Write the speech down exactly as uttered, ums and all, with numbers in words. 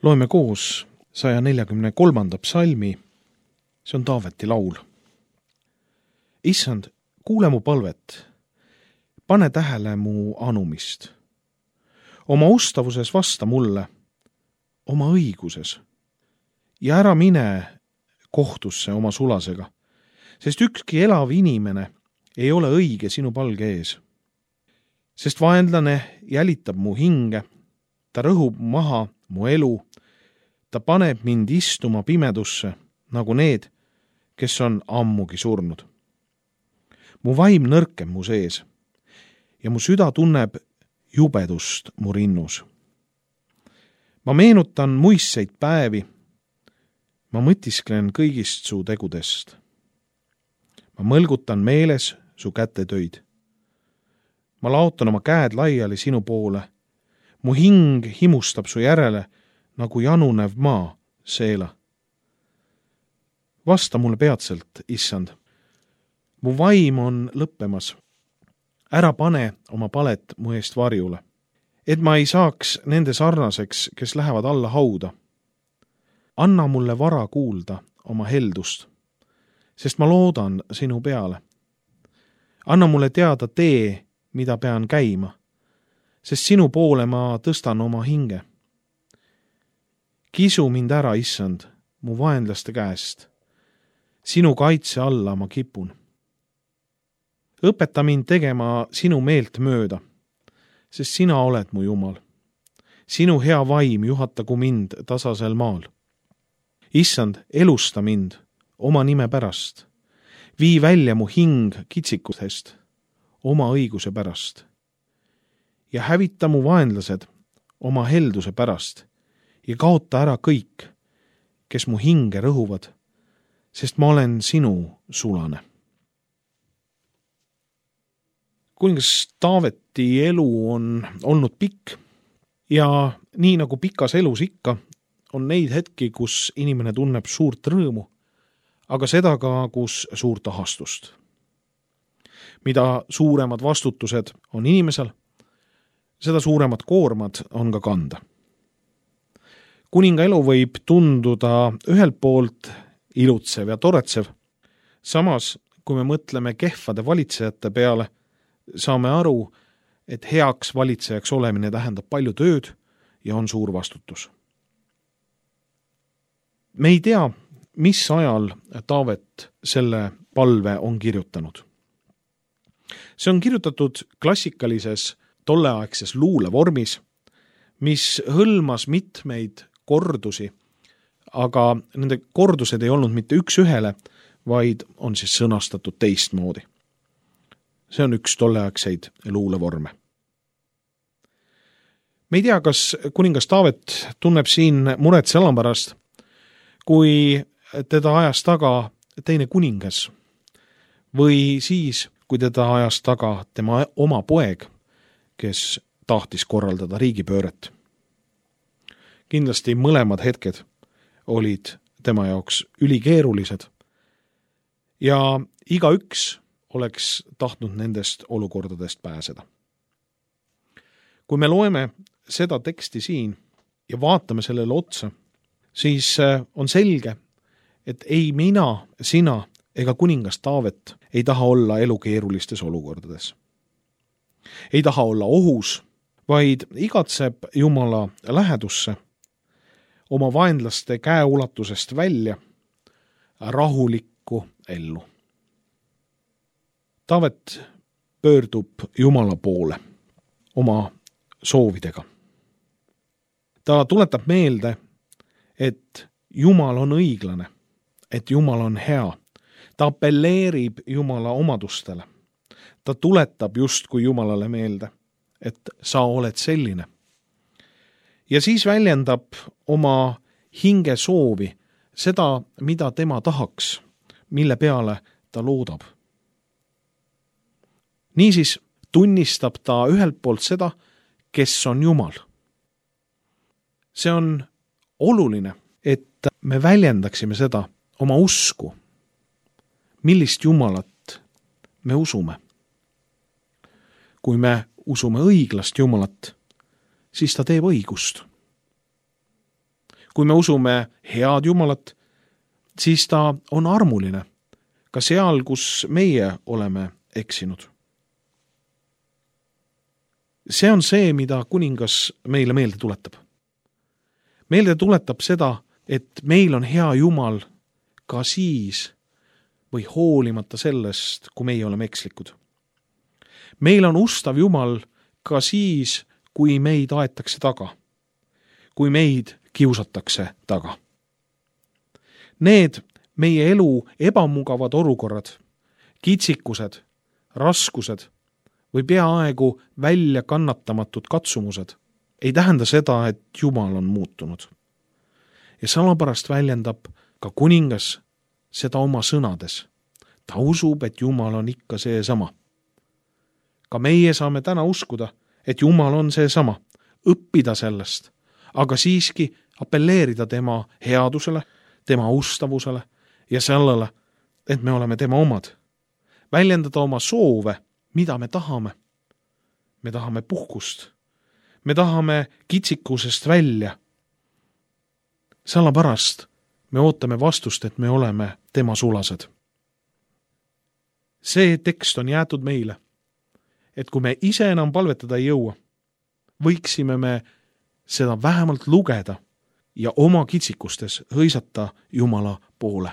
Loeme koos saja neljakümne kolmanda psalmi, see on Taaveti laul. Issand, kuule mu palvet, pane tähele mu anumist. Oma ustavuses vasta mulle, oma õiguses, ja ära mine kohtusse oma sulasega, sest ükski elav inimene ei ole õige sinu palge ees. Sest vaenlane jälitab mu hinge, ta rõhub maha mu elu, ta paneb mind istuma pimedusse, nagu need, kes on ammugi surnud. Mu vaim nõrkem mu sees ja mu süda tunneb jubedust mu rinnus. Ma meenutan muistseid päevi, ma mõtisklen kõigist su tegudest. Ma mõlgutan meeles su kätetöid. Ma laotan oma käed laiali sinu poole. Mu hing himustab su järele, nagu janunev maa seela. Vasta mulle peatselt, issand. Mu vaim on lõppemas. Ära pane oma palet mu eest varjule, et ma ei saaks nende sarnaseks, kes lähevad alla hauda. Anna mulle vara kuulda oma heldust, sest ma loodan sinu peale. Anna mulle teada tee, mida pean käima, sest sinu poole ma tõstan oma hinge. Kisu mind ära, issand, mu vaenlaste käest. Sinu kaitse alla ma kipun. Õpeta mind tegema sinu meelt mööda, sest sina oled mu Jumal. Sinu hea vaim juhatagu mind tasasel maal. Issand, elusta mind oma nime pärast. Vii välja mu hing kitsikustest oma õiguse pärast. Ja hävita mu vaenlased oma helduse pärast ja kaota ära kõik, kes mu hinge rõhuvad, sest ma olen sinu sulane. Kuningas Taaveti elu on olnud pikk ja nii nagu pikas elus ikka, on neid hetki, kus inimene tunneb suurt rõõmu, aga seda ka, kus suurt ahastust. Mida suuremad vastutused on inimesel, seda suuremad koormad on ka kanda. Kuninga elu võib tunduda ühelt poolt ilutsev ja toretsev, samas kui me mõtleme kehvade valitsejate peale, saame aru, et heaks valitsejaks olemine tähendab palju tööd ja on suur vastutus. Me ei tea, mis ajal Taavet selle palve on kirjutanud. See on kirjutatud klassikalises tolleaegses luulevormis, mis hõlmas mitmeid kordusi, aga nende kordused ei olnud mitte üks ühele, vaid on siis sõnastatud teistmoodi. See on üks tolleaegseid luulevorme. Me ei tea, kas kuningas Taavet tunneb siin muret selle pärast, kui teda ajas taga teine kuningas või siis, kui teda ajas taga tema oma poeg, kes tahtis korraldada riigipööret. Kindlasti mõlemad hetked olid tema jaoks ülikeerulised ja igaüks oleks tahtnud nendest olukordadest pääseda. Kui me loeme seda teksti siin ja vaatame sellele otsa, siis on selge, et ei mina, sina ega kuningas Taavet ei taha olla elukeerulistes olukordades. Ei taha olla ohus, vaid igatseb Jumala lähedusse, oma vaenlaste käeulatusest välja, rahulikku ellu. Taavet pöördub Jumala poole oma soovidega. Ta tuletab meelde, et Jumal on õiglane, et Jumal on hea. Ta appelleerib Jumala omadustele. Ta tuletab justkui Jumalale meelde, et sa oled selline. Ja siis väljendab oma hinge soovi, seda, mida tema tahaks, mille peale ta loodab. Niisiis tunnistab ta ühelt poolt seda, kes on Jumal. See on oluline, et me väljendaksime seda oma usku, millist Jumalat me usume. Kui me usume õiglast Jumalat, siis ta teeb õigust. kui me usume head Jumalat, siis ta on armuline, ka seal, kus meie oleme eksinud. See on see, mida kuningas meile meelde tuletab. Meelde tuletab seda, et meil on hea Jumal ka siis või hoolimata sellest, kui meie oleme ekslikud. Meil on ustav Jumal ka siis, kui meid aetakse taga, kui meid kiusatakse taga. Need meie elu ebamugavad olukorrad, kitsikused, raskused või peaaegu välja kannatamatud katsumused ei tähenda seda, et Jumal on muutunud. Ja sellepärast väljendab ka kuningas seda oma sõnades. Ta usub, et Jumal on ikka see sama. Ka meie saame täna uskuda, et Jumal on see sama, õppida sellest, aga siiski appelleerida tema headusele, tema ustavusele ja sellele, et me oleme tema omad. Väljendada oma soove, mida me tahame. Me tahame puhkust. Me tahame kitsikusest välja. Sellepärast me ootame vastust, et me oleme tema sulased. See tekst on jäetud meile, et kui me ise enam palvetada ei jõua, võiksime me seda vähemalt lugeda ja oma kitsikustes hõisata Jumala poole.